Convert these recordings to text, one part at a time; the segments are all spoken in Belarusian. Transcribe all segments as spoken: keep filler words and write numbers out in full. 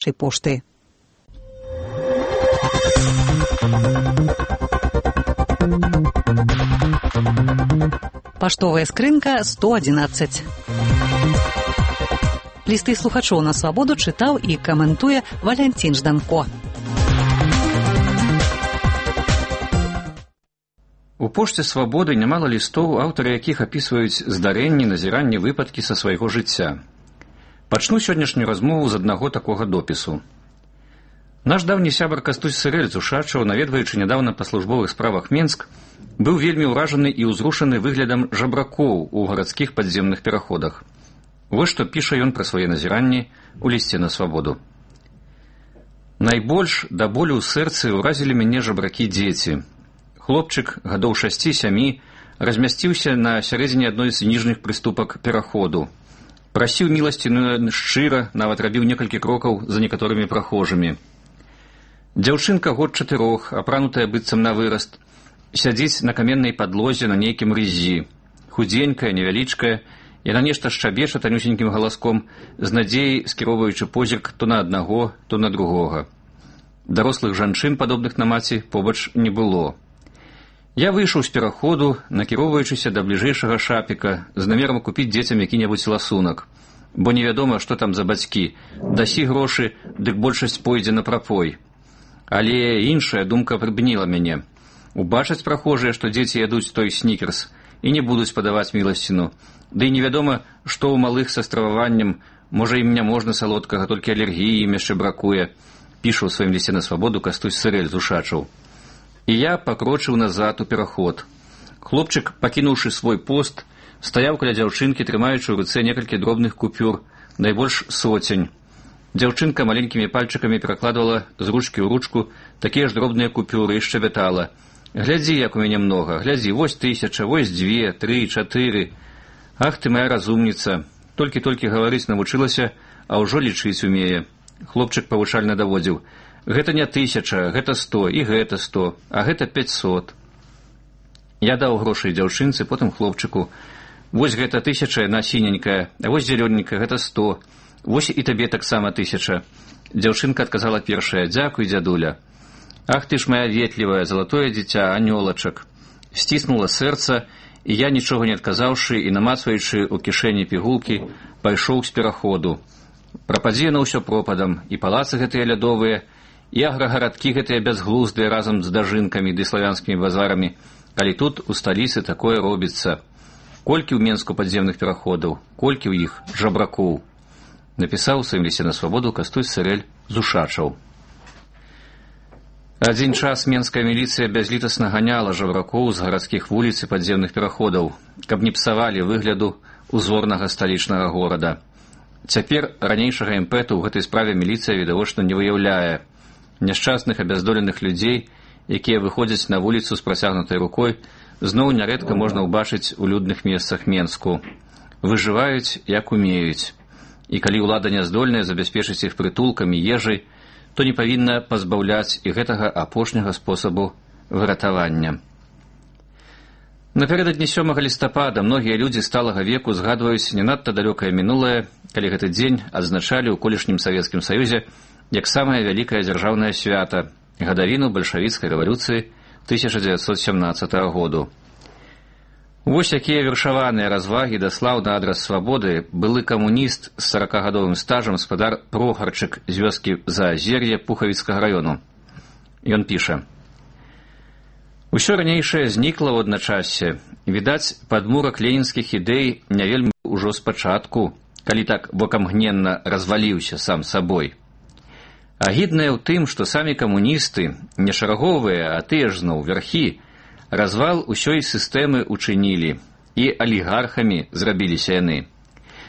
нашай пошты. Паштовая скрынка сто одиннадцаць. Лісты слухачоў на свабоду чытаў і каментуе Валянцін Жданко. У пошце свабоды нямала лістоў, аўтары якіх апісваюць здарэнні, назіранні, выпадкі са свайго жыцця. Пачну сённяшнюю размову з аднаго такога допісу. Наш даўні сябар Кастусь Сырэль з Ушачаў, наведваючы нядаўна па службовых справах Менск, быў вельмі ўражаны і ўзрушаны выглядам жабракоў у гарадскіх падземных пераходах. Вось што піша ён пра свае назіранні ў лісце на свабоду. Найбольш да болю ў сэрцы ўразілі мяне жабракі дзеці. Хлопчык гадоў шасці-сямі размясціўся на сярэдзіне адной з ніжніх прыступак пераходу. Прасіў міласціну шчыра, нават рабіў некалькі крокаў за некаторымі прахожымі. Дзяўчынка год чатырох, апранутая быццам на выраст, сядзіць на каменнай падлозе на нейкім рыззі. Худзенькая, невялічкая, яна нешта шчабеча танюсенькім галаском, з надзеяй скіроўваючы позірк то на аднаго, то на другога. Дарослых жанчын, падобных на маці, побач не было. Я выйшаў з пераходу, накіроўваючыся да бліжэйшага шапіка, з намерам купіць дзецям які-небудзь ласунак. Бо невядома, што там за бацькі. Дасі грошы, дык большасць пойдзе на прапой. Але іншая думка прыбніла мяне. Убачаць прахожыя, што дзеці ядуць той снікерс, і не будуць падаваць міласціну. Ды і невядома, што ў малых са страваваннем, можа ім не можна салодкага, толькі алергіі ім яшчэ бракуе, піша ў сваім лісце на свабоду Кастусь Сырэль з Ушачаў. І я пакрочыў назад у пераход. Хлопчык, пакінуўшы свой пост, стаяў каля дзяўчынкі, трымаючы ў руцэ некалькі дробных купюр, найбольш соцень. Дзяўчынка маленькімі пальчыкамі перакладвала з ручкі ў ручку такія ж дробныя купюры і шчабятала. Глядзі, як у мяне многа, глядзі, вось тысяча, вось дзве, тры, чатыры. Ах ты моя разумніца, толькі-толькі гаварыць навучылася, а ўжо лічыць умее. Хлопчык павучальна даводзіў. Гэта не тысяча, гэта сто, і гэта сто, а гэта пяцьсот. Я даў грошы дзяўчынцы, потым хлопчыку. Вось гэта тысяча, яна сіненькая, а вось зелёненькая, гэта сто. Вось і табе таксама тысяча. Дзяўчынка адказала першая. Дзякуй, дзядуля. Ах ты ж моя ветлівая, залатое дзіця, анёлачак. Сціснула сэрца, і я, нічога не адказаўшы і намацваючы ў кішэні пігулкі, пайшоў з пераходу. Прападзе на ўсё пропадам, і палацы гэтыя лядовыя, і аграгарадкі гэтыя бязглуздыя разам з дажынкамі ды славянскімі базарамі, калі тут у сталіцы такое робіцца. Колькі ў Менску падземных пераходаў, колькі ў іх жабракоў. Напісаў у сваім лісце на свабоду Кастусь Сырэль з Ушачаў. Адзін час менская міліцыя бязлітасна ганяла жабракоў з гарадскіх вуліц і падземных пераходаў, каб не псавалі выгляду узорнага сталічнага горада. Цяпер ранейшага імпэту ў гэтай справе міліцыя відавочна не выяўляе. Няшчасных абяздоленых людзей, якія выходзяць на вуліцу з працягнутай рукой, зноў нярэдка можна ўбачыць у людных месцах Менску. Выжываюць, як умеюць. І калі ўлада няздольная забяспечыць іх прытулкамі, ежай, то не павінна пазбаўляць і гэтага апошняга спосабу выратавання. Напярэдадні сёмага лістапада многія людзі сталага веку згадваюць не надта далёкае мінулае, калі гэты дзень адзначалі ў колішнім Савецкім Саюзе як самае вялікае дзяржаўнае свята, гадавіну бальшавіцкай рэвалюцыі тысяча дзевяцьсот сямнаццатага году. Вось якія вершаваныя развагі даслаў на адрас свабоды былы камуніст з саракагадовым стажам спадар Прохарчык з вёскі Заазер'е Пухавіцкага раёну. Ён піша. Усё ранейшае знікла ў адначассе. Відаць, падмурак ленінскіх ідэй не вельмі ўжо спачатку, калі так вокамгненна разваліўся сам сабой. Агіднае ў тым, што самі камуністы, не шараговыя, а тыя ж зноў вярхі, развал усёй сістэмы учынілі, і алігархамі зрабіліся яны.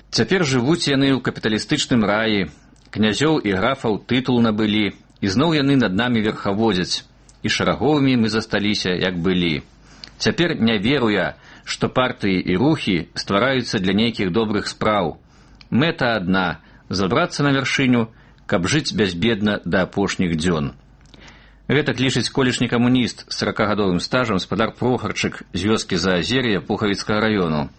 Цяпер жывуць яны ў капіталістычным раі, князёў і графаў тытул набылі, і зноў яны над намі верхаводзяць, і шараговымі мы засталіся, як былі. Цяпер не веру я, што партыі і рухі ствараюцца для нейкіх добрых спраў. Мэта адна – забрацца на вяршыню, каб жыць бязбедна да апошніх дзён. Гэтак лічыць колішні камуніст з саракагадовым стажам спадар Прохарчык з вёскі Заазер'я Пухавіцкага раёну.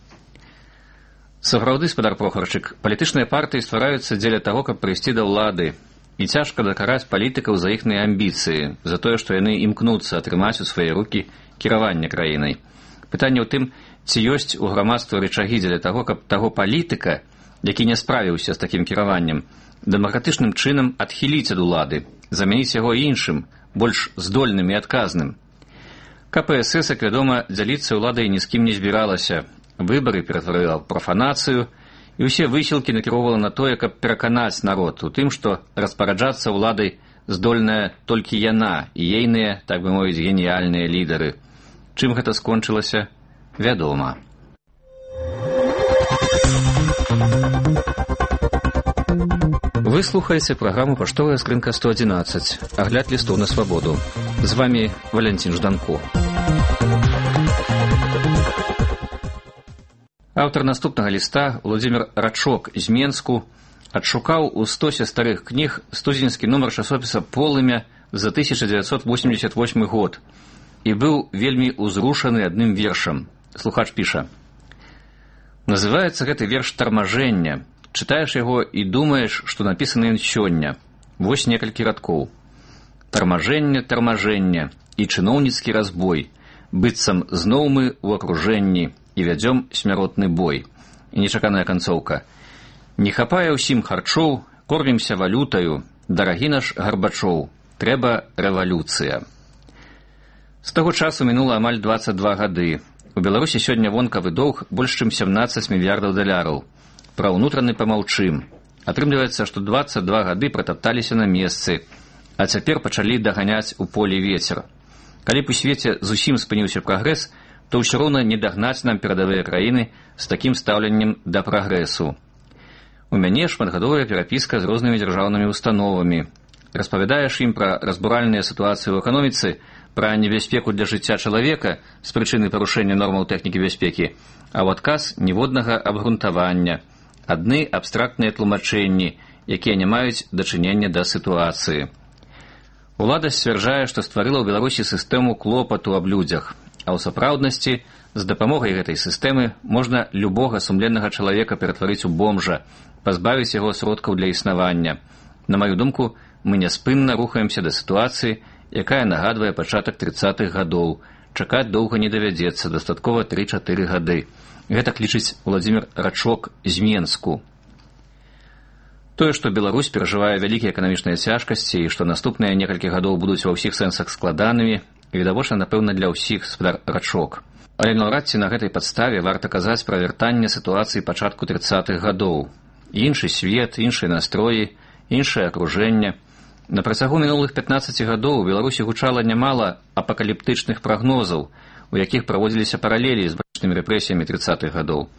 Сапраўды, спадар Прохарчык, палітычныя партыі ствараюцца дзеля таго, каб прыйсці да ўлады, І цяжка дакараць палітыкаў за іхныя амбіцыі, за тое, што яны імкнуцца атрымаць у свае рукі кіраванне краінай. Пытанне ў тым, ці ёсць у грамадства рычагі для таго, каб таго палітыка, які не справіўся з такім кіраваннем, дэмакратычным чынам адхіліць ад улады, замяніць яго іншым, больш здольным і адказным. ка пэ эс эс, як вядома, дзяліцца ўладай ні з кім не збіралася. Выбары ператварыла ў прафанацыю, і ўсе высілкі накіроўвала на тое, каб пераканаць народ у тым, што распараджацца ўладай здольная толькі яна і ейныя, так бы мовіць, геніяльныя лідары. Чым гэта скончылася, вядома. Вы слухаеце праграму «Паштовая скрынка сто адзінаццаць», агляд лістоў на свабоду. З вами Валянцін Жданко. Аўтар наступнага ліста, Владзімір Рачок з Менску, адшукаў у стосе старых кніг студзеньскі нумар часопіса «Полымя» за тысяча дзевяцьсот восемьдесят восьмы год і быў вельмі ўзрушаны адным вершам. Слухач піша: «Называецца гэты верш «Тармажэнне». Чытаеш яго і думаеш, што напісаны ён сёння. Вось некалькі радкоў. Тармажэнне, тармажэнне і чыноўніцкі разбой. Быццам зноў мы ў акружэнні і вядзём смяротны бой. І нечаканая канцоўка. Не хапае ўсім харчоў, кормімся валютаю, дарагі наш Гарбачоў, трэба рэвалюцыя. З таго часу мінула амаль дваццаць два гады. У Беларусі сёння вонкавы доўг больш чым сямнаццаць мільярдаў даляраў. Пра ўнутраны памаўчым. Атрымліваецца, што дваццаць два гады пратапталіся на месцы, а цяпер пачалі даганяць у полі вецер. Калі б у свеце зусім спыніўся прагрэс, то ўсё роўна не дагнаць нам перадавыя краіны з такім стаўленнем да прагрэсу. У мяне шматгадовая перапіска з рознымі дзяржаўнымі установамі. Распавядаеш ім пра разбуральныя сітуацыі ў эканоміцы, пра небяспеку для жыцця чалавека з прычыны парушэння нормаў тэхнікі бяспекі, а ў адказ ніводнага абгрунтавання, адны абстрактныя тлумачэнні, якія не маюць дачынення да сітуацыі. Улада сцвярджае, што стварыла ў Беларусі сістэму клопату аб людзях, а ў сапраўднасці з дапамогай гэтай сістэмы можна любога сумленнага чалавека ператварыць у бомжа, пазбавіць яго сродкаў для існавання. На маю думку, мы няспынна рухаемся да сітуацыі, якая нагадвае пачатак трыццатых гадоў. Чакаць доўга не давядзецца, дастаткова тры-чатыры гады. Гэтак лічыць Владзімір Рачок з Менску. Тое, што Беларусь перажывае вялікія эканамічныя цяжкасці і што наступныя некалькі гадоў будуць ва ўсіх сэнсах складанымі, відавочна, напэўна, для ўсіх, спадар Рачок. Але наўрад ці на гэтай падставе варта казаць пра вяртанне сітуацыі пачатку трыццатых гадоў. Іншы свет, іншыя настроі, іншае акружэнне. На працягу мінулых пятнаццаці гадоў у Беларусі гучала нямала апакаліптычных прагнозаў, у якіх праводзіліся паралелі з бачнымі рэпрэсіямі трыццатых гадоў.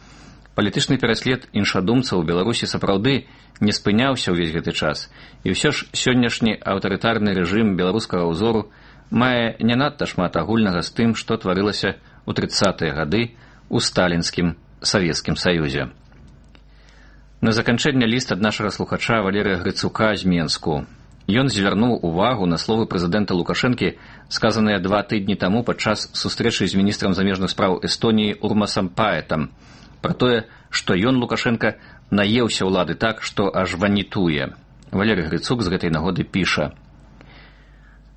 Палітычны пераслед іншадумцаў у Беларусі сапраўды не спыняўся ўвесь гэты час, і ўсё ж сённяшні аўтарытарны рэжым беларускага ўзору мае не надта шмат агульнага з тым, што тварылася ў трыццатыя гады ў сталінскім Савецкім Саюзе. На заканчэнне ліст ад нашага слухача Валерыя Грыцука з Менску. Ён звярнуў увагу на словы прэзідэнта Лукашэнкі, сказаныя два тыдні таму падчас сустрэчы з міністрам замежных спраў Эстоніі Урмасам Паэтам, пра тое, што ён, Лукашенка, наеўся ўлады так, што аж ванітуе. Валерый Грыцук з гэтай нагоды піша: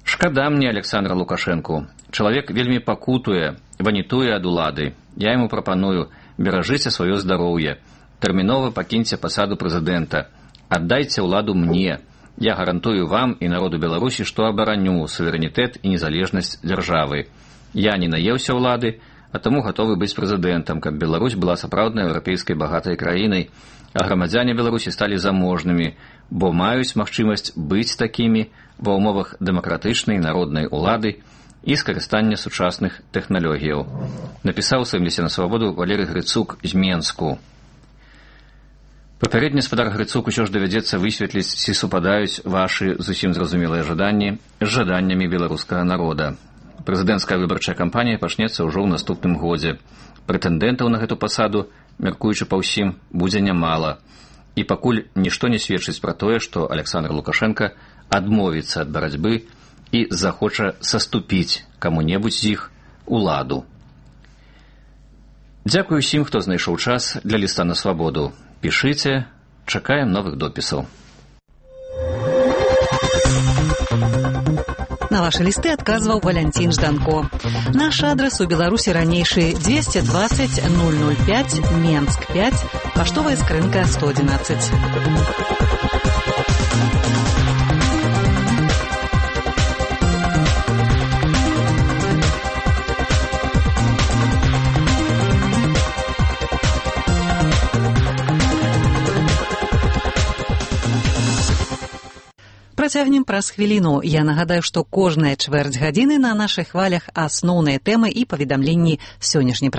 «Шкада мне Александра Лукашэнку. Чалавек вельмі пакутуе, ванітуе ад улады. Я яму прапаную, беражыце сваё здароўе, тэрмінова пакіньце пасаду прэзідэнта, аддайце ўладу мне. Я гарантую вам і народу Беларусі, што абараню суверэнітэт і незалежнасць дзяржавы. Я не наеўся ўлады, а таму гатовы быць прэзідэнтам, каб Беларусь была сапраўднай еўрапейскай багатай краінай, а грамадзяне Беларусі сталі заможнымі, бо маюць магчымасць быць такімі ва ўмовах дэмакратычнай народнай улады і скарыстання сучасных тэхналогіяў». Напісаў у сваім лісце на свабоду Валерый Грыцук з Менску. Папярэдні спадар Грыцук усё ж давядзецца высветліць, ці супадаюць вашы зусім зразумелыя жаданні з жаданнямі беларускага народа. Прэзідэнцкая выбарчая кампанія пачнецца ўжо ў наступным годзе. Прэтэндэнтаў на гэту пасаду, мяркуючы па ўсім, будзе нямала. І пакуль нішто не сведчыць пра тое, што Александр Лукашенка адмовіцца ад барацьбы і захоча саступіць каму-небудзь з іх уладу. Дзякую ўсім, хто знайшоў час для ліста на свабоду. Пішыце, чакаем новых допісаў. На ваши листы адказваў Валянцін Жданко. Наш адрес у Беларусі ранейшы двести двадцать ноль ноль пять, Менск пять, паштовая скрынка сто одиннадцать. Працягнем праз хвіліну. Я нагадаю, што кожная чвэрць гадзіны на нашых хвалях асноўныя тэмы і паведамленні сённяшняй